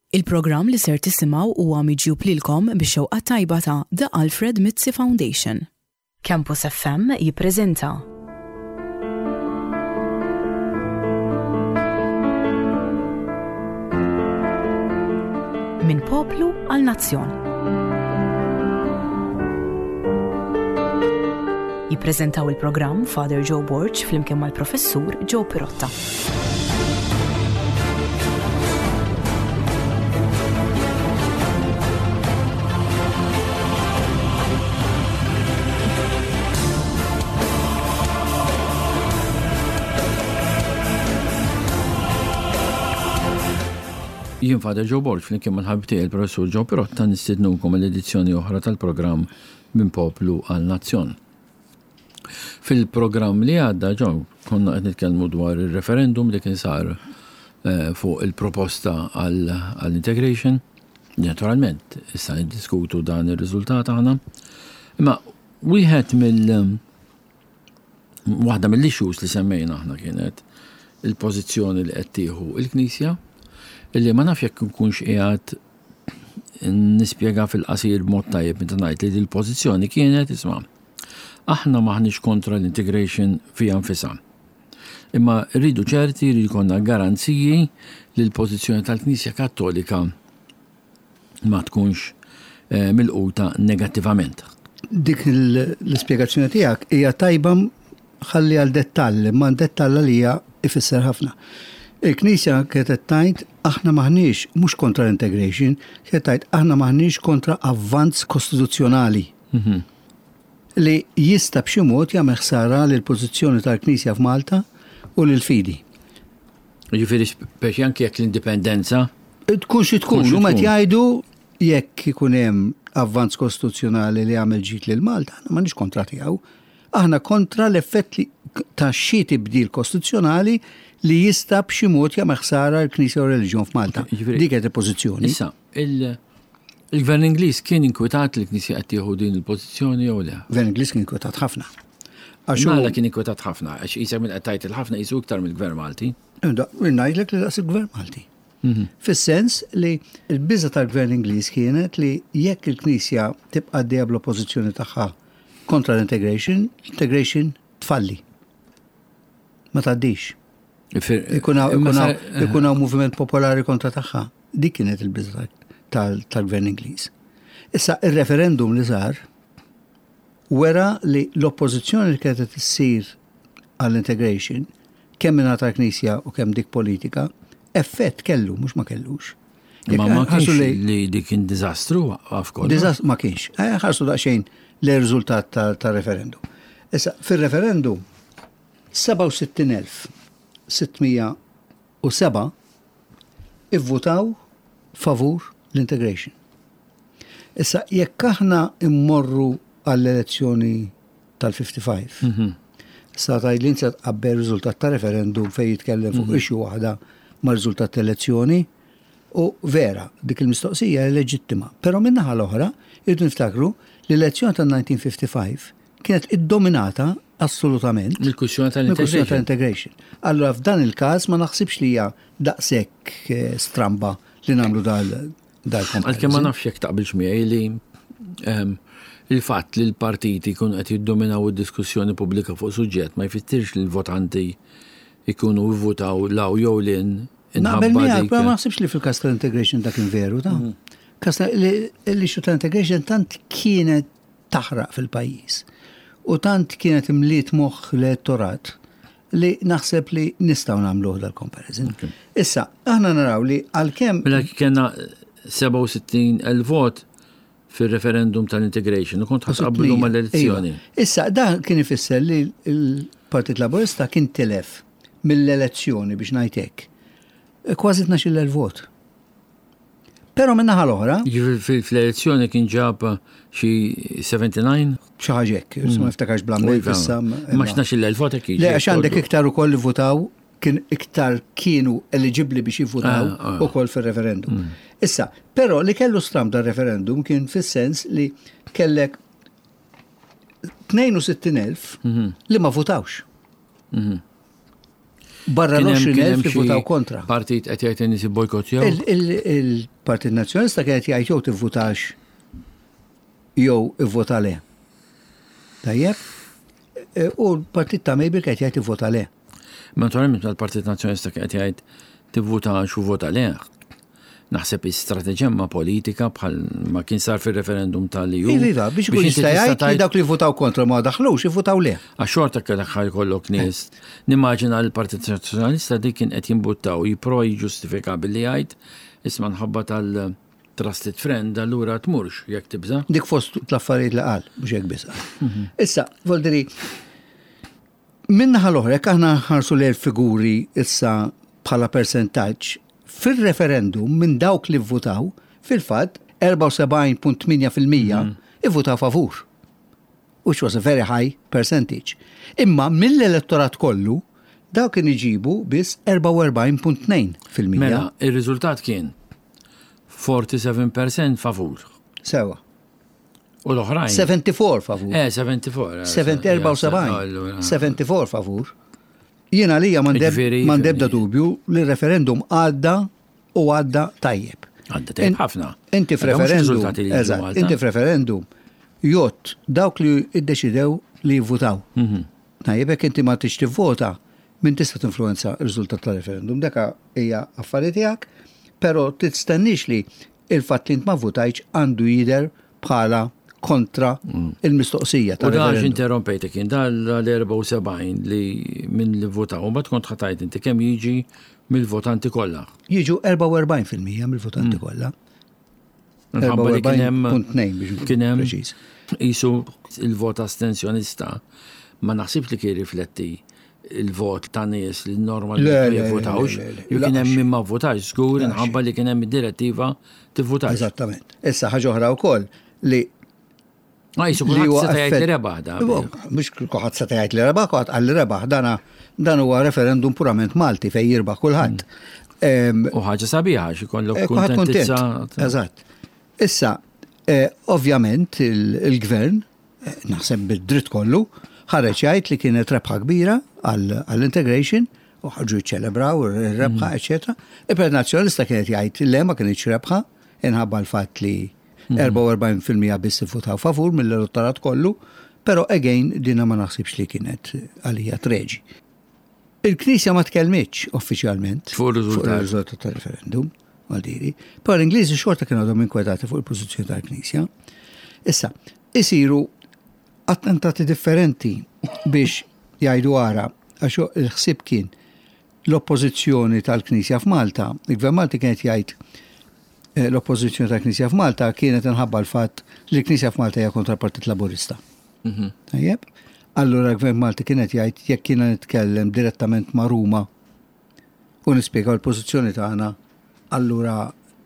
Il-programm li ser tisimgħu huwa miġjub lilkom bix-xewqa t-tajba ta' The Alfred Mizzi Foundation. Campus FM jippreżenta. Minn poplu għal nazzjon. Jippreżentaw il-programm Father Joe Borg flimkien mal-Professur Joe Pirotta. Jien Father Joe Borg flimkien mal-ħabib tiegħi il-Professur Joe Pirotta nistednukom għall-edizzjoni oħra tal-programm Minn Poplu għal Nazzjon. Fil-programm li għadda, John, konna qed nitkellmu dwar ir-referendum li kien sar eh, fuq il-proposta għall-integration. Naturalment, issa niddiskutu dan ir-riżultat aħna. Imma wieħed mill- waħda mill-issues li semmejna aħna kienet il-pożizzjoni li qed tieħu il-Knisja illi ma nafx jekk nkunx qiegħed nispjega fil-qasir b'mod tajjeb meta ngħid li l-pożizzjoni kienet isma' aħna m'aħniex kontra l-integration fiha nfisha. Imma rridu ċerti li jkollna garanziji li l-pożizzjoni tal-Knisja Kattolika ma tkunx eh, milquta negattivament. Dik l-ispjegazzjoni tiegħek hija tajba ħalli għal dettall, imma dettall għalija ifisser ħafna. Il-Knisja kienet qed tgħid aħna m'aħniex mhux kontra l-integration, kienet tgħid aħna m'aħniex kontra avvanz kostituzzjonali. Mhm. Li jista' b'xi mod jagħmel ħsara lill-pożizzjoni tal-Knisja f'Malta u lill-fidi. Jiġifieri speċi anke jekk l-indipendenza. Tkun xi tkun, huma qed jgħidu jekk ikun hemm avvanz kostituzzjonali li jagħmel ġid lil Malta, aħna m'għandniex kontra tiegħu. Aħna kontra l-effett li ta' xi tibdil kostituzzjonali li jista' b'xi mod jagħmel ħsara l-Knisja u r-reliġjon f'Malta. Dik qed il-pożizzjoni. Issa, il-Gvern Ingliż kien inkwetat li l-Knisja qed tieħu din il-pożizzjoni jew le? Gvern Ingliż kien inkwetat ħafna. Għax Mela kien inkwetat ħafna, għax qisek minn qed tgħid il-ħafna qisu iktar mill-Gvern Malti. Ngħidlek li daqs il-Gvern Malti. Mhm. Fis-sens li l-biża tal-Gvern Ingliż kienet li jekk il-Knisja tibqa' għaddejja bl-oppożizzjoni tagħha kontra l-integration, l-integration tfalli. Ma tgħaddix. Ikun hawn moviment popolari kontra tagħha. Dik kienet il-biża tal-Gvern Ingliż. Issa ir-referendum li sar wera li l-oppożizzjoni li kienet issir għall-integration kemm minn tal-Knisja u kemm dik politika, effett kellu, mhux ma kellux. Ma ma kienx li dik kien diżastru għaf kollox. Diżastru ma kienx. Eh, ħarsu daqsxejn l-riżultat tar-referendum. Issa, fir-referendum 67,607 ivvutaw favur l-integration. Issa, jekk aħna immorru għall-elezzjoni tal-55, mhm. sa tgħid li inti tqabbel riżultat ta' referendum fejn jitkellem fuq mhm. issue waħda ma' riżultat ta' elezzjoni, u vera, dik il-mistoqsija hija leġittima. Però min-naħa l-oħra, irridu niftakru li l-elezzjoni tal-1955 kienet iddominata assolutament mill-kwistjoni tal-integration. Allura f'dan il-każ ma naħsibx li hija daqshekk eh, stramba li nagħmlu dal dal Għalkemm ma nafx jekk taqbilx miegħi li ehm, il-fatt li l-partiti jkunu qed jiddominaw id-diskussjoni pubblika fuq suġġett ma jfissirx li l-votanti jkunu vvutaw law jew lin Naqbel miegħek, ma naħsibx li fil-każ tal-integration dak kien veru ta'. Mhm. Każ l-issue tal-integration tant kienet taħraq fil-pajjiż u tant kienet imliet moħħ l-elettorat li naħseb li nistgħu nagħmluh dal-comparison. Issa, aħna naraw li għalkemm. Mela kellna 67,000 vot fil-referendum tal-integration, u kont ħatqablu mal-elezzjoni. Iva. Issa, dan kien ifisser li l-Partit Laburista kien tilef mill-elezzjoni biex ngħid hekk. Kważi 12,000 vot. Però min-naħa l-oħra. Jiġifieri fl-elezzjoni kien ġab xi 79? Xi ħaġa hekk, ma niftakarx bl-ammont iva. issa. Ma 12,000 vot hekk. Le, għax għandek iktar ukoll li votaw kien iktar kienu eligibbli biex jivvutaw ah, ah. ukoll fir-referendum. Mm. Issa, però li kellu stram dar referendum kien fis-sens li kellek 62,000 mhm. li ma votawx. Mhm. Barra l-20,000 li votaw kontra. Partit qed jgħid in-nies ibbojkottjaw. Il-Partit Nazzjonalista kien qed jgħid jew tivvutax jew ivvota le. Tajjeb? E, u l-partit ta' Mabel kien qed jgħid ivvota le. Naturalment l-Partit Nazzjonalista kien qed jgħid tivvutax u vota le. Naħseb istrateġemma politika bħal ma kien sar fir-referendum tal-EU. Iva, iva, biex ikun jista' jgħid li dawk li votaw kontra ma daħlux, ivvutaw le. Għax xorta kellek ħaj jkollok nies. Nimmaġina l-Partit Nazzjonalista dik kien qed jimbuttaw jipprova jiġġustifika billi jgħid isma' nħabba tal-trusted friend allura tmurx jekk tibża'. Dik fost l-affarijiet li qal, mhux hekk biss qal. Mhm. Issa, voldiri, Min-naħa l-oħra, jekk aħna nħarsu lejn il-figuri issa bħala persentaġġ, fir-referendum minn dawk li vvutaw, fil-fatt 74.8% ivvutaw favur. Which was a very high percentage. Imma mill-elettorat kollu, dawk kien iġibu biss 44.2%. Mela, ir-riżultat kien 47% favur. Sewa. U l-oħrajn. 74 favur. Eh, 74. 74. 74 favur. Jiena li m'għandebda dubju li referendum għadda u għadda tajjeb. Għadda tajjeb ħafna. Inti f'referendum. Eżatt, inti f'referendum jott dawk li iddeċidew li jivvutaw. Mhm. Tajjeb jekk inti ma tix tivvota, min tista' tinfluenza r-riżultat tal-referendum. Deka hija affari tiegħek, però tistennix li Il-fatt li int ma vvutajtx għandu jidher bħala kontra il-mistoqsija ta' U da għax interrompejtek jien, da l-74 li minn li votaw, u mbagħad kont ħatajt inti kemm jiġi mill-votanti kollha. Jiġu 44% mill-votanti mm. kollha. Minħabba li kien hemm kien hemm qisu il-vot astensjonista ma naħsibx li kien rifletti il-vot ta' nies li normalment ma jivvotawx, jew kien hemm min ma vvotax żgur inħabba li kien hemm id-direttiva tivvutax. Eżattament. Issa ħaġa oħra wkoll li Ma jisu kulħadd seta' jgħid li rebaħ da. Mhux kulħadd seta' jgħid li rebaħ, kulħadd qal li rebaħ. Dana dan huwa referendum purament Malti fejn jirbaħ kulħadd. Mm. U ħaġa sabiħa xi kollok eh, kuntentizza. Eżatt. Issa, eh, ovvjament il-gvern naħseb bid-dritt kollu, ħareġ jgħid li kienet rebħa kbira għall-integration u ħarġu jiċċelebraw ir-rebħa, mm. eċetera. Il-Partit Nazzjonalista kienet jgħid le ma kienx rebħa inħabba l-fatt li 44% mm. biss ivvutaw favur mill-elettorat kollu, però again dina ma naħsibx li kienet għalija treġi. Il-Knisja ma tkellmitx uffiċjalment fuq ir-riżultat tal-referendum, għaldiri, però l-Ingliżi xorta kienu għadhom inkwetati fuq il-pożizzjoni tal-Knisja. Issa, isiru attentati differenti biex jgħidu ara, għax il-ħsieb kien l-oppożizzjoni tal-Knisja f'Malta, il-Gvern Malti kienet jgħid eh, l-oppożizzjoni tal-Knisja f'Malta kienet inħabba l-fatt li l-Knisja f'Malta hija kontra l-Partit Laburista. Mhm. Tajjeb? Allura l-Gvern Malti kien qed jgħid jekk jiena nitkellem direttament ma' Ruma u nispjegaw il-pożizzjoni tagħna, allura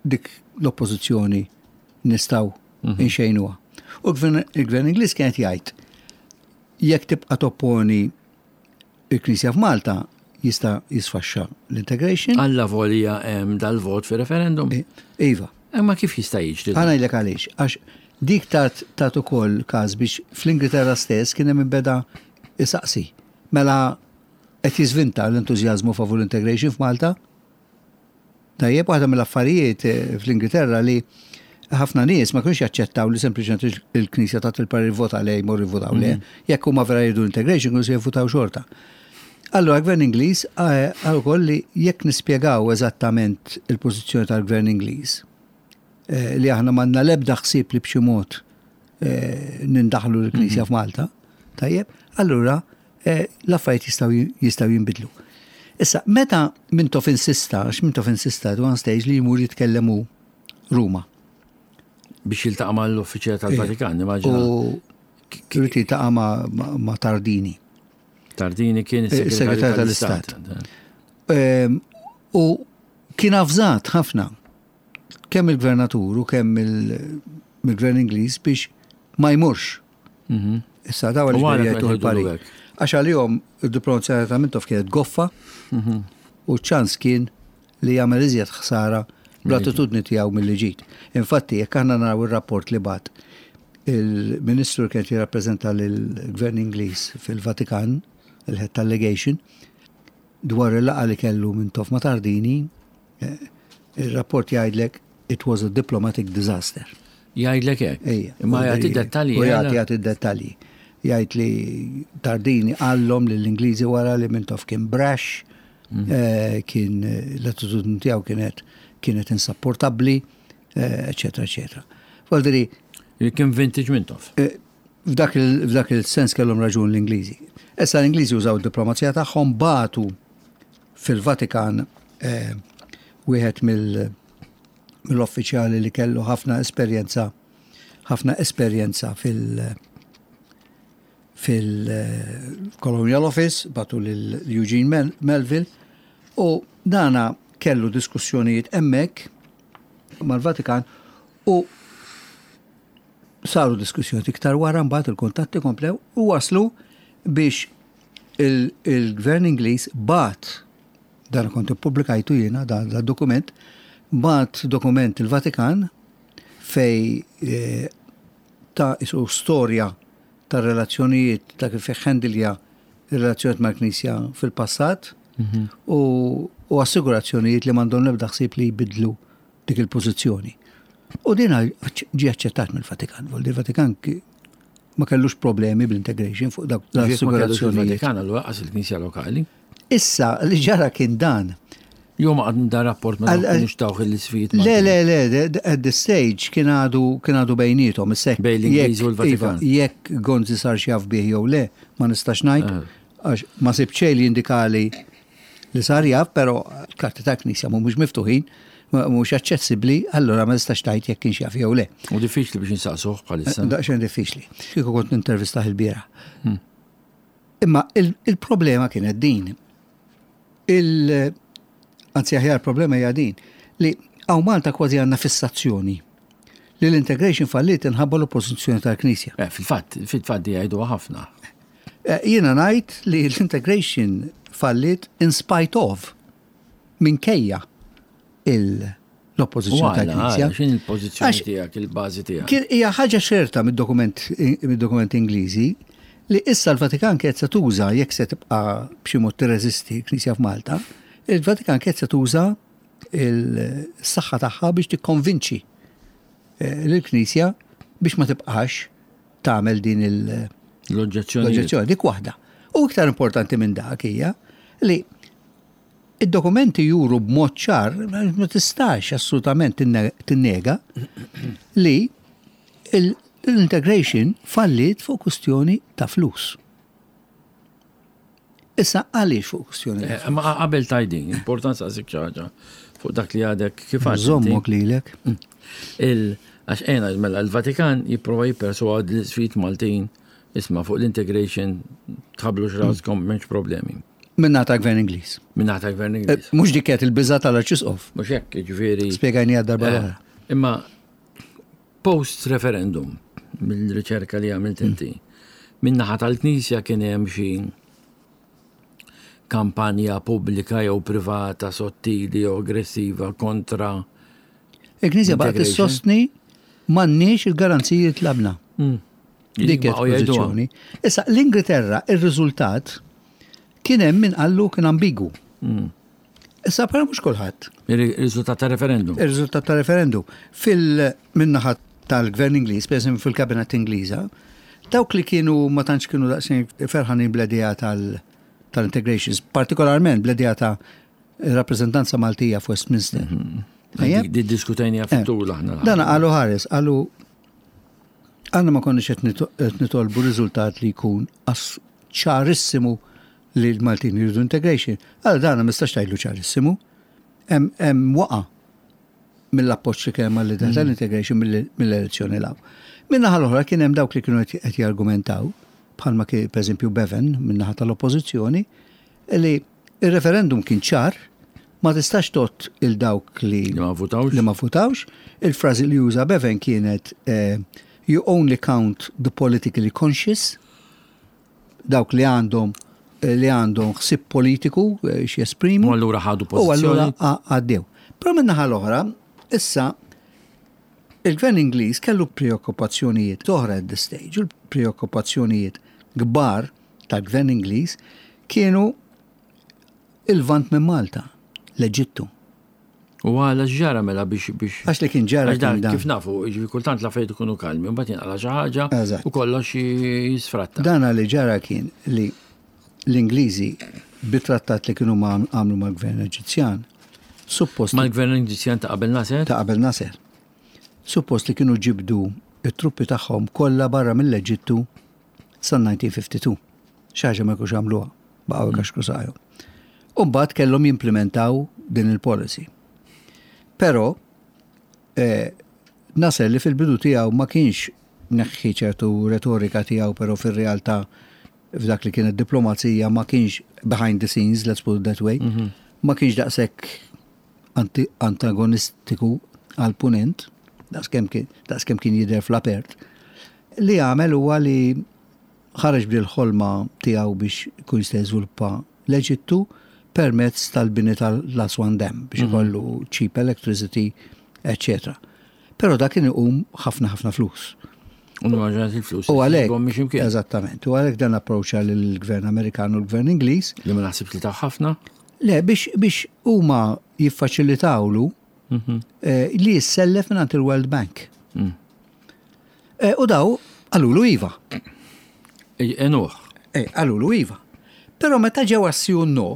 dik l-oppożizzjoni nistgħu mhm. inxejnuha. U l-Gvern Ingliż kien qed jgħid jekk tibqa' topponi Il-Knisja f'Malta jista' jisfaxxa l-integration. Alla volja hemm dal-vot fi referendum. Iva. Imma kif jista' jiġri? Ħa ngħidlek għaliex. Għax dik tat tat ukoll każ biex fl-Ingilterra stess kien hemm min beda isaqsi. Mela qed jiżvinta l-entużjażmu favur l-integration f'Malta? Tajjeb, waħda mill-affarijiet eh, fl-Ingilterra li ħafna nies ma kienx jaċċettaw li sempliċement il-Knisja tat il-parir vota le jmorru jivvotaw le. Mm. Jekk huma vera jridu integration, kienu se jivvotaw xorta. Allura gvern Ingliż eh, għal ukoll li jekk nispjegaw eżattament il-pożizzjoni tal-gvern Ingliż, eh, li aħna m'għandna l-ebda ħsieb li b'xi mod nindaħlu l-Knisja mhm. f'Malta, tajjeb, allura eh, l-affarijiet jistgħu jistgħu jinbidlu. Issa, meta Mintoff insista, għax Mintoff insista at one stage li jmur jitkellem hu Ruma. Biex jiltaqa' mal-uffiċjal tal-Vatikan, immaġina. U rrid jiltaqa' ma' Tardini. Tardini kien is-segretarju tal-Istat. Ehm, u kien avżat ħafna kemm il-gvernatur u kemm il-gvern Ingliż biex ma jmurx Mhm. Issa daw għaliex jgħidu l-parir. Għax għalihom id-diplomazija ta' Mintoff kienet goffa mhm. u ċans kien li jagħmel iżjed ħsara bl-attitudni tiegħu milli ġid. Infatti, jekk aħna naraw ir-rapport li bat il-ministru li kien jirrappreżenta lill-Gvern Ingliż fil-Vatikan, il-head tal-legation, dwar il-laqgħa li kellu Mintoff ma' Tardini, eh, ir-rapport jgħidlek it was a diplomatic disaster. Jgħidlek hekk. Ejja. Imma jagħti dettalji. U jagħti jagħti dettalji. Jgħid li Tardini qallhom lill-Ingliżi wara li Mintoff kien brash, mhm. eh, kien eh, l-attitudni tiegħu kienet kienet insapportabbli, eċetera, eċetera. Voldiri. Kien vintage Mintoff. F'dak il-sens kellhom raġun l-Ingliżi. Issa l-Ingliżi użaw id-diplomazija tagħhom bagħtu fil-Vatikan eh, wieħed mill-uffiċjali li kellu ħafna esperjenza ħafna esperjenza fil- fil-Colonial Office, batu lil Eugene Melville, u dana kellu diskussjonijiet hemmhekk mal-Vatikan u Saru diskussjonijiet iktar wara mbagħad il-kuntatti komplew u waslu biex il-Gvern Ingliż bagħat dan kont ippubblikajtu jiena dan dokument bagħat dokument il-Vatikan fej eh, ta' isu storja ta' relazzjonijiet ta' kif ħendilja relazzjonijiet mal-Knisja fil-passat mhm. u assigurazzjonijiet li m'għandhom l-ebda ħsieb li jbidlu dik il-pożizzjoni. U din ġie aċċettat mill-Vatikan. Il-Vatikan ma kellux problemi bl-integration fuq dak l-assigurazzjoni. Il-Vatikan allura qas il-Knisja lokali. Issa li ġara kien dan. Jo ma għadni da rapport ma kienux tawh il-sfid. Le, le, le, at this stage kien għadu kien għadu bejnietom. Bejn l-Ingliż u l-Vatikan. Iva, jekk Gonzi sar xjaf bih jew le, ma nistax ngħid, eh. għax ma sib xejn li jindikali li sar jaf, però l-karti tal-Knisja mhumiex miftuħin, mhux aċċessibbli, allura ma tistax tgħid jekk kienx jaf jew le. U diffiċli biex insaqsuh bħalissa. Eh, daqsxejn diffiċli. Kieku kont nintervistah il-bieraħ. Hmm. Imma il-problema kienet din. Il anzi aħjar problema hija din li hawn Malta kważi għandna fissazzjoni li l-integration falliet inħabba l-oppożizzjoni tal-Knisja. Eh, fil-fatt, fil-fatt di jgħidu ħafna. Eh, jiena ngħid li l-integration fallit in spite of minkejja l-oppożizzjoni tal-Knisja. X'in il-pożizzjoni tiegħek, il-bażi tiegħek? Hija ħaġa ċerta mid-dokument mid-dokument Ingliżi li issa l-Vatikan kienet se tuża jekk se tibqa' b'xi mod tirreżisti l-Knisja f'Malta, il-Vatikan kienet se tuża il-saħħa tagħha biex tikkonvinċi eh, lill-Knisja biex ma tibqax tagħmel din il- L-oġġezzjoni. L-oġġezzjoni, dik waħda. U iktar importanti minn dak hija li id-dokumenti juru b'mod ċar, ma tistax assolutament tinnega li l-integration falliet fuq kwistjoni ta' flus. Issa għaliex fuq kwistjoni ta' eh, Ma qabel tajdin, importanza saqsik xi ħaġa fuq dak li għadek kif għad. Żommok lilek. Il għax ejna mela l-Vatikan jipprova jipperswad l-isfid Maltin isma' fuq l-integration tħablu x'raskom m'hemmx problemi. Minna ta' gvern Ingliż. Minna ta' gvern Ingliż. Eh, mhux dik kienet il-biża tal-Arċisqof. Mhux hekk, jiġifieri. Spjegajni darba eh, l-oħra. Imma Post referendum, mill-riċerka li għamilt inti, min-naħa tal-Knisja kien hemm xi kampanja pubblika jew privata sottili jew aggressiva kontra Il-Knisja baqgħet issostni m'għandniex il-garanziji li tlabna. Hmm. Dik kienet pożizzjoni. Issa l-Ingilterra ir-riżultat kien hemm min qallu kien ambigu. Hmm. Issa però mhux kulħadd. Ir-riżultat ta' referendum. Ir-riżultat ta' referendum. Fil-minnaħa tal-gvern Ingliż, per eżempju fil-kabinet Ingliża, dawk li kienu ma tantx kienu daqsxejn ferħanin bl-idea tal-integrations, partikolarment bl-idea ta' rappreżentanza Maltija f'Westminster. Mhm. Di diskutajni fit-tul eh, aħna. Dan qalu ħares, qalu għanna ma konniex qed nitolbu riżultat li jkun ċarissimu li l-Maltin jridu integration. Għal dan ma nistax tgħidlu ċarissimu. Hemm waqa' mill-appoġġ li kien hemm għall-idea mm. tal-integration mill-elezzjoni law. Min-naħa l-oħra kien hemm dawk li kienu qed jargumentaw, bħalma kien pereżempju Bevan min-naħa tal-oppożizzjoni, li il-referendum kien ċar, ma tistax tot il-dawk li ma votawx. Li ma votawx. Il-frażi li uża Bevan kienet eh, you only count the politically conscious dawk li għandhom eh, li għandhom ħsieb politiku eh, x'jesprimu. U allura ħadu pożizzjoni. U allura għaddew. Però min-naħa l-oħra, issa il-gvern Ingliż kellu preokkupazzjonijiet oħra at this stage, u l-preokkupazzjonijiet kbar tal-gvern Ingliż kienu Il-Lvant minn Malta, l-Eġittu. U għala x'ġara mela biex biex. Għax li kien ġara kien dan. Kif nafu, jiġifieri kultant l-affarijiet ikunu kalmi, mbagħad jinqala' xi ħaġa u kollox jisfratta. Dan li ġara kien li l-Ingliżi bit-trattat li kienu għamlu mal-gvern Eġizzjan, suppost. Mal-gvern Eġizzjan ta' qabel Nasser? Ta' qabel Nasser. Suppost li kienu ġibdu it-truppi tagħhom kollha barra mill-Eġittu sal-1952. Xi ħaġa ma jkunx għamluha, baqgħu jkaxkru saqajhom. U mbagħad kellhom jimplementaw din il-policy. Però eh, Nasser li fil-bidu tiegħu ma kienx neħħi ċertu retorika tiegħu, però fir-realtà f'dak li kienet diplomazija ma kienx behind the scenes, let's put it that way, mm -hmm. ma kienx daqshekk antagonistiku għal-punent, daqskemm kien jidher fl-apert. Li għamel huwa li ħareġ b'dil-ħolma tiegħu biex ikun jista' jiżviluppa l-Eġittu permezz tal-bini tal-Aswan Dam biex mhm. ikollu cheap electricity, etc. Però dak kien iqum ħafna ħafna flus. U il-flus. U għalhekk. Eżattament. U għalhekk dan approċċa lill-Gvern Amerikan u l-Gvern Ingliż. Li ma naħsibx li ta' ħafna. Le, biex, biex huma jiffaċilitawlu mhm. eh, li jissellef minn il-World Bank. Mm. Eh, u daw qalulu iva. Enuħ. Eh, qalulu iva. Però meta ġew għas-si no,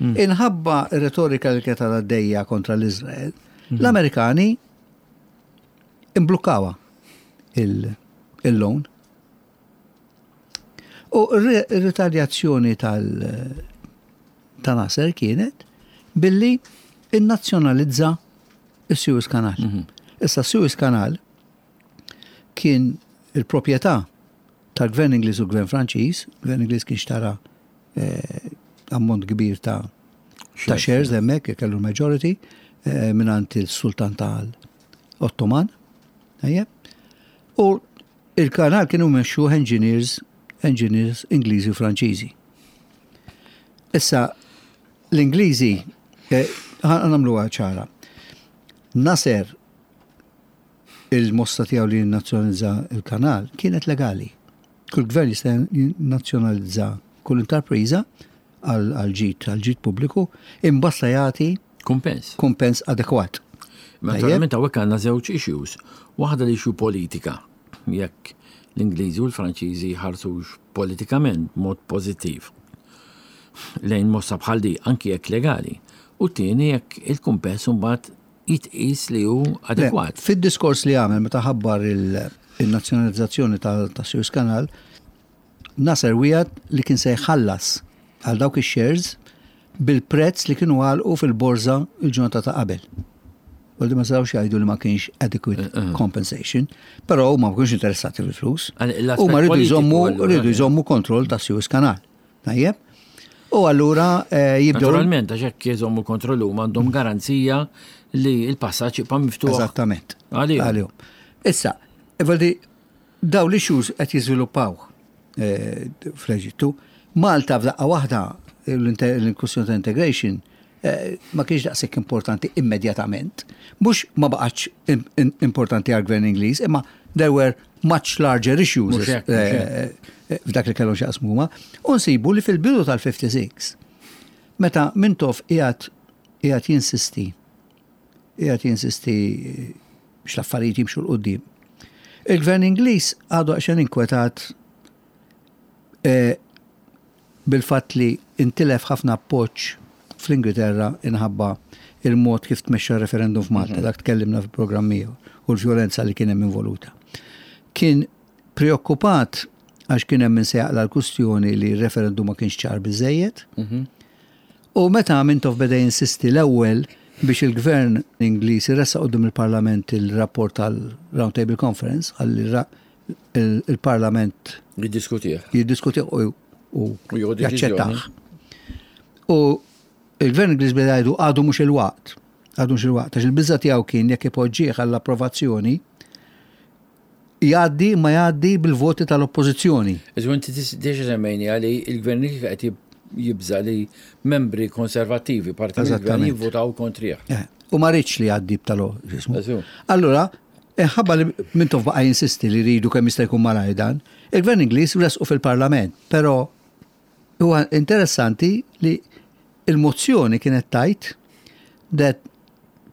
hmm. inħabba retorika li kienet għaddejja kontra l-Izrael, hmm. l-Amerikani imblukkawa il-loan. U r-ritaljazzjoni tal- ta' Nasser kienet billi innazzjonalizza is-Suez Canal. Mhm. Issa Suez Canal kien il-proprjetà tal-Gvern Ingliż u l-Gvern Franċiż, Gvern Ingliż kien xtara eh, ammont kbir ta' ta' shares hemmhekk kellu l-majority eh, mingħand il-Sultan tal-Ottoman. U il-kanal kienu mexxuh engineers, engineers Ingliżi u Franċiżi. Issa, l-Ingliżi, eh, nagħmluha ċara. Nasser il-mossa tiegħu li jinnazzjonalizza il-kanal kienet legali. Kull gvern jista' jinnazzjonalizza kull intrapriża għal ġid għal ġid pubbliku imbasta jagħti kumpens. Kumpens adekwat. Naturalment hawnhekk għandna żewġ issues. Waħda l-issue politika, jekk l-Ingliżi u l-Franċiżi jħarsux politikament mod pożittiv lejn mossa bħal di, anki jekk legali. U t-tieni jekk il-kumpens imbagħad jitqis li hu adekwat. Fid-diskors li għamel meta ħabbar il-nazzjonalizzazzjoni ta' Suez Canal, Nasser wiegħed li kien se jħallas għal dawk ix-shares bil-prezz li kienu għalqu fil-borża l-ġurnata ta' qabel. U li ma setgħux jgħidu li ma kienx adequate eh, eh. compensation, però huma ma kienx interessati fil-flus. Huma rridu jżommu rridu jżommu kontroll ta' Suez Canal. Tajjeb? U allura eh, jibdew. Naturalment, għax hekk jżommu kontroll huma għandhom garanzija li l-passaġġ jibqa' miftuħ. Eżattament. Għalihom. Issa, Dawn l-issues qed jiżviluppaw eh, fl-Eġittu. Malta f'daqqa waħda l-kwistjoni ta' integration eh, ma kienx daqshekk importanti immedjatament. Mhux ma baqgħetx importanti għall-gvern Ingliż, imma there were much larger issues eh, f'dak li kellhom x'jaqsmu huma. U nsibu li fil-bidu tal-56, meta Mintoff qiegħed qiegħed jinsisti qiegħed jinsisti biex l-affarijiet jimxu 'l quddiem. Il-Gvern Ingliż għadu għaxen inkwetat eh, bil-fatt li intilef ħafna appoġġ fl-Ingilterra inħabba il-mod kif tmexxa referendum f'Malta, mhm. dak tkellimna fil-programm u l-vjolenza li kien hemm involuta. Kien preokkupat għax kien hemm min se jaqla l-kustjoni li r-referendum ma kienx ċar biżejjed. Mhm. U meta Mintoff beda jinsisti l-ewwel biex il-Gvern Ingliż iressaq quddiem il-Parlament il-rapport tal-Round Table Conference ħalli il-Parlament jiddiskutih. Jiddiskutih u jaċċettah. U il-Gvern Ingliż beda jgħidu għadu mhux il-waqt. Għadu mhux il-waqt, għax il-biża' tiegħu kien jekk ipoġġih għall-approvazzjoni jgħaddi imma jgħaddi bil-voti tal-oppożizzjoni. Iżu inti diġa semmejni għali il-gvern qed jibża li membri konservattivi parti mill-gvern jivvotaw kontrih. Eh, u ma rridx li jgħaddi b'tal Allura, eh, ħabba li Mintoff baqa' jinsisti li rridu kemm jista' jkun malajr dan, il-gvern Ingliż resqu fil-Parlament, però. Huwa interessanti li il-mozzjoni kienet tgħid that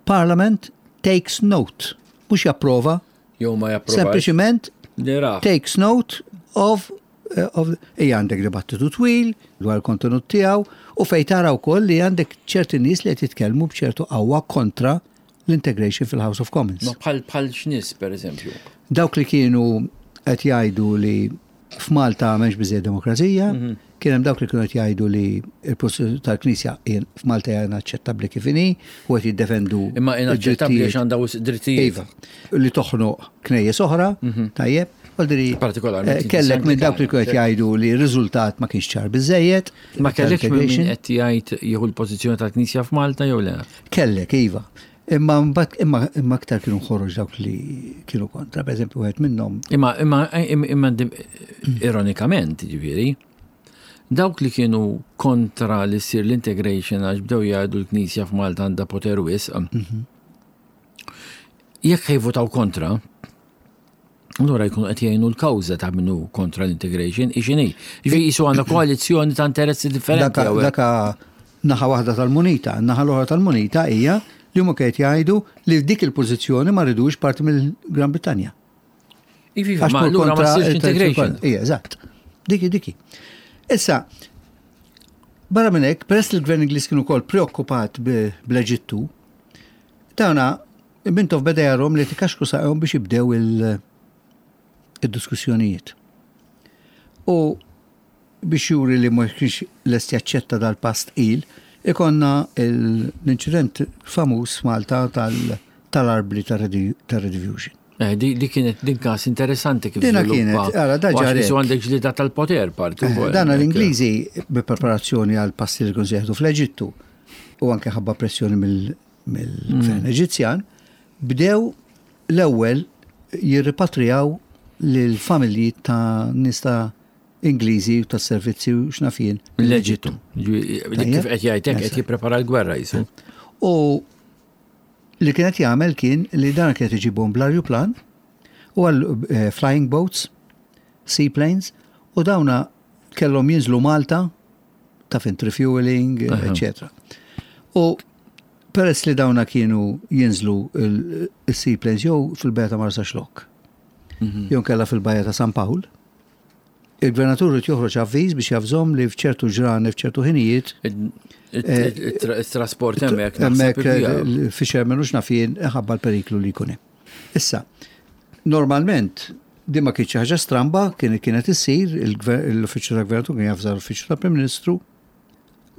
Parliament takes note, mhux japprova, Jew ma japprovax. Sempliċiment Li ra. takes note of eh, of hija għandek dibattitu twil dwar il-kontenut tiegħu u fejn tara wkoll li għandek ċerti nies li qed jitkellmu b'ċertu qawwa kontra l-integration fil-House of Commons. Ma bħal bħal x'nies pereżempju. Dawk li kienu qed jgħidu li f'Malta m'hemmx biżejjed demokrazija, kien hemm dawk li kienu qed jgħidu li l-pożizzjoni tal-Knisja f'Malta hija inaċċettabbli kif inhi u qed jiddefendu Imma inaċċettabbli għax għandha wisq drittijiet. Iva, li toħnoq knejjes oħra, tajjeb, Għaldiri, Partikolarment kellek minn dawk li kienu qed jgħidu li r-riżultat ma kienx ċar biżejjed. Ma kellekx minn min tal-integration. qed jgħid jieħu l-pożizzjoni tal-Knisja f'Malta jew le? Kellek, iva. Imma mbagħad imma imma aktar kienu ħoroġ dawk li kienu kontra, per eżempju, wieħed minnhom Imma imma imma imma dim- ironikament, ġifieri, dawk li kienu kontra li ssir l-integration għax bdew jgħidu l-Knisja f'Malta għandha poter wisq. Jekk ħa jivvotaw kontra, allura jkunu qed jgħinu l-kawża ta' minnu kontra l-integration, ixini. Ġifieri jisu għandna koalizzjoni ta' interessi differenti. Daka, hawnhekk. daka naħa waħda tal-munita, naħa l-oħra tal-munita hija li huma qed jgħidu li f'dik il-pożizzjoni ma ridux parti mill-Gran Brittanja. Iva, Għax ma tmur allura ma kontra ssirx il-tradizzjoni integration. kollha. Ija, eżatt. Diki, diki. Issa, barra minn hekk, peress li l-Gvern Ingliż kien ukoll preokkupat bl-Eġittu, tawna Mintoff beda jarhom li tikaxku saqhom biex jibdew il-diskussjonijiet. U biex juri li ma kienx lest jaċċetta dal-pass tqil, ikonna l-inċident famuż Malta tal-arbli tar-Rediffusion. Eh, di kienet din każ interessanti kif Dina żviluppa. kienet, ara, da U għax ġarek. qisu għandek ġlida tal-poter parti. Eh, wkoll. Dan l-Ingliżi bi preparazzjoni għal passi li kienu se jieħdu fl-Eġittu u anke ħabba pressjoni mill-gvern Eġizzjan, bdew l-ewwel jirripatrijaw lil familji ta' nies ta' Ingliżi u tas servizzi u x'nafien Mill-Eġittu. Ġi- Kif qed jgħidlek qed jipprepara l-gwerra jisu. U li kienet jagħmel kien li dan kienet iġibhom bl-arjuplan u għal eh, flying boats, seaplanes, u dawna kellhom jinżlu Malta ta' fint refueling, etc. U peress li dawna kienu jinżlu il-seaplanes jew fil-bajja ta' Marsaxlokk, jew kella fil-bajja ta' San Pawl, il-gvernatur irid joħroġ avviż biex javżhom li f'ċertu ġrani, f'ċertu ħinijiet, Il-trasport hemmhekk Hemmhekk naħseb il-bija. il-fishermen u x'nafien ħabba l-periklu li jkun hemm. Issa, normalment din ma kienx xi ħaġa stramba, kien kienet issir l-uffiċċju tal-Gvernatur kien jafżar l-uffiċċju tal-Prim Ministru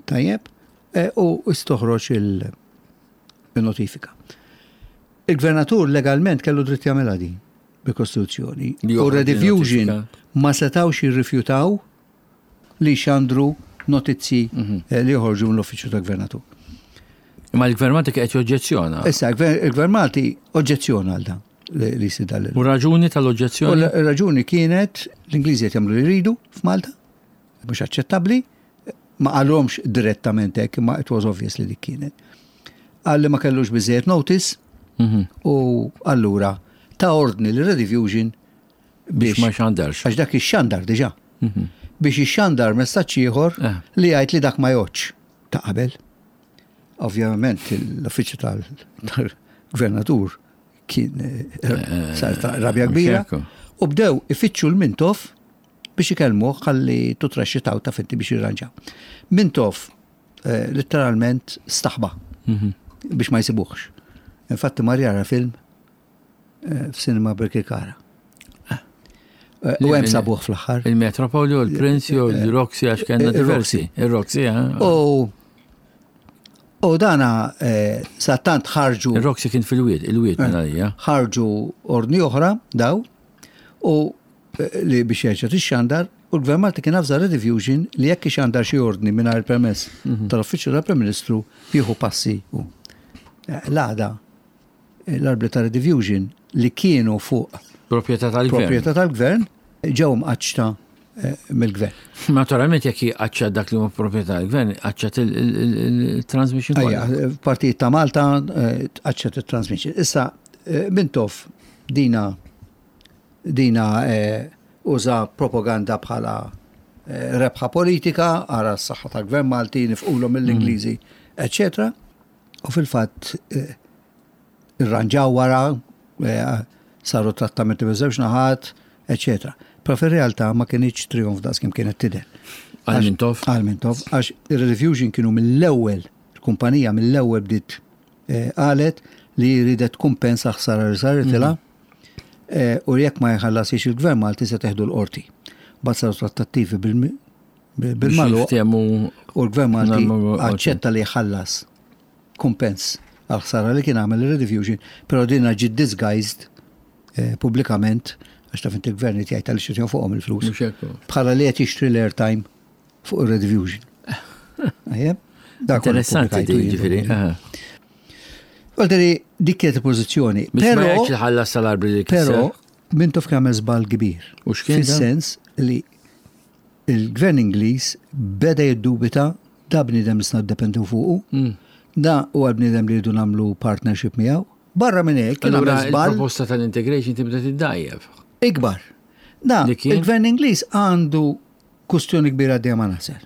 tajjeb eh, u istoħroġ il-notifika. Il-Gvernatur legalment kellu dritt jagħmilha din bil-Kostituzzjoni. Li U joħroġ Rediffusion notifika. ma setawx jirrifjutaw li xandru notizzi eh, li joħorġu mill-uffiċċju tal-Gvernatur. Imma l-gvern Malti qed joġġezzjona. Issa, il-Gvern Malti oġġezzjona għal dan li li jsir dan U raġuni U tal-oġġezzjoni? l-raġuni kienet l-Ingliżi qed jagħmlu li jridu f'Malta, mhux aċċettabbli, ma qalhomx direttament hekk, imma it was obvious li dik kienet. Qal li ma kellux biżejjed notice u allura ta' ordni li Rediffusion Biex biex ma xandarx. għax dak ix-xandar diġà. Biex ixxandar messaġġ ieħor Eh. li jgħid li dak ma jgħodx ta' qabel. Ovvjament l-uffiċċju tal-gvernatur kien eh, sar ta' rabja kbira mhux hekk. u bdew ifittxu l-Mintoff biex ikellmuh ħalli tutraxxitaw ta' finti biex jirranġaw. Mintoff eh, letteralment staħba biex ma jsibuhx. Infatti mar jara film eh, f'sinema Birkirkara. Eh, U hemm sabuh fl-aħħar. Il-Metropoli u l-Prince u l-Roxy għax kellna Il-Roxy. diversi. Il-Roxy, eh? U u dana eh, sa tant ħarġu Il-Roxy kien fil-wied, il-wied minn għalija. ħarġu ordni oħra daw u eh, li biex jerġa' tixxandar u l-Gvern Malti kien avża Rediffusion li jekk ixandar xi ordni mingħajr permess tal-Uffiċċju tal-Prim Ministru jieħu passi u eh, l-għada eh, l-arbli ta' Rediffusion li kienu fuq Proprjetà tal-gvern. proprjetà tal-gvern ġew mqaċċta eh, mill-gvern. Naturalment jekk qaċċat dak li huma proprjetà tal-gvern, qaċċat il-transmission Ejja, kollha. partijiet ta' Malta eh, tqaċċat il-transmission. Issa, eh, Mintoff dina dina eh, uża propaganda bħala eh, rebħa politika, ara s-saħħa tal-gvern Malti, nifqulhom mill-Ingliżi, eccetera. U fil-fatt eh, irranġaw wara, eh, saru trattamenti biż-żewġ naħat, eccetera. Però fir-realtà ma kinitx trijonf daqs kemm kienet tidher. Għal Mintoff? Għal Mintoff, għax ir-Rediffusion kienu mill-ewwel, il-kumpanija mill-ewwel bdiet eh, qalet li ridet kumpensa ħsara li saritilha mhm. u jekk ma jħallasix il-gvern Malti se teħdu l-qorti. Bad saru trattattivi bil-malu u l-gvern Malti aċċetta li jħallas kumpens għal ħsara li kien għamel il-Rediffusion, però dinha ġiet disguised eh, pubblikament għax taf inti l-gvern qed jgħid għaliex qed fuqhom il-flus. Bħala li qed jixtri l-airtime fuq ir-Rediffusion. Interessanti ġifieri. Għalderi, dik kienet il-pożizzjoni. Però ħallas tal-arbli li Però Mintoff kien għamel żball kbir. U x'kien? Fis-sens li Il-Gvern Ingliż beda jiddubita da bniedem nistgħu niddependu fuqu, mm. da huwa l-bniedem li rridu nagħmlu partnership miegħu. Barra minn hekk kien għamel żball. Il-proposta tal-integration tibda tiddajjef. Ikbar. Da, il-Gvern Ingliż għandu kustjoni kbira għaddejja ma' Nasser.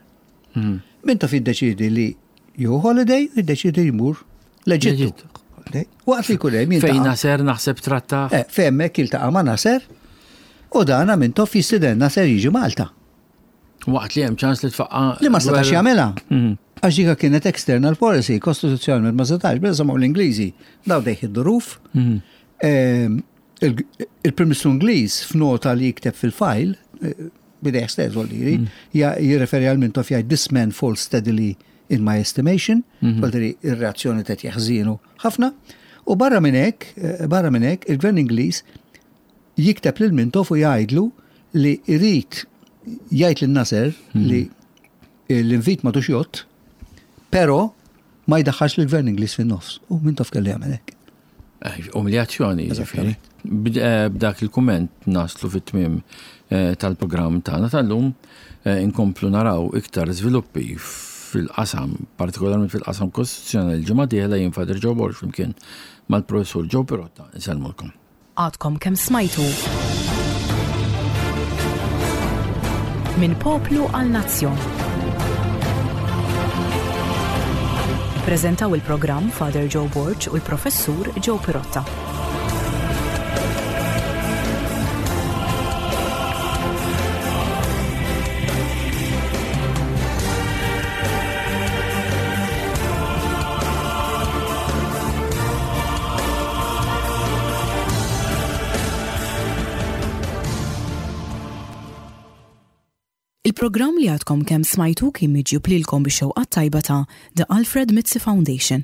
Mm. Min taf jiddeċidi li jew holiday, jiddeċidi jmur l-Eġittu. Waqt li jkun hemm Fejn Nasser naħseb tratta. Eh, fejn hemmhekk jiltaqa' ma' Nasser u dana minn toff jistiden Nasser jiġi Malta. Waqt li hemm ċans li tfaqqa. Li ma setax jagħmilha. Mhm. Għax dika kienet external policy, kostituzzjonalment ma setax, bella semgħu l-Ingliżi, daw dejħ id-duruf. Mhm. Ehm, il-Prim Ministru Ingliż f'nota li jikteb fil-fajl, eh, bidejh stess voldiri, mm. jirreferi għal Mintoff jgħid this man falls steadily in my estimation, mm-hmm. voldiri ir-reazzjoni ta' jeħżienu ħafna. U barra minn hekk, eh, barra minn hekk, il-Gvern Ingliż jikteb lil Mintoff u jgħidlu li jrid jgħid lil Nasser mm. li l-invit ma tux jott, pero ma jdaħħax l-Gvern Ingliż fin-nofs. U Mintoff kelli jagħmel hekk. Eh, umiljazzjoni, ġifieri. Eh, b'dak il-kumment naslu fit-tmiem eh, tal-programm tagħna tal-lum inkomplu naraw iktar żviluppi fil-qasam, partikolarment fil-qasam kostituzzjonali l-ġimgħa dieħla jien Father Joe Borg flimkien mal-Professur Joe Pirotta. Insellmulkom. Għadkom kemm smajtu Minn poplu għal nazzjon. Ippreżentaw il-programm Father Joe Borg u l-Professur Joe Pirotta. Il-programm li għadkom kemm smajtu kien miġjub lilkom bix-xewqat tajba ta' The Alfred Mizzi Foundation.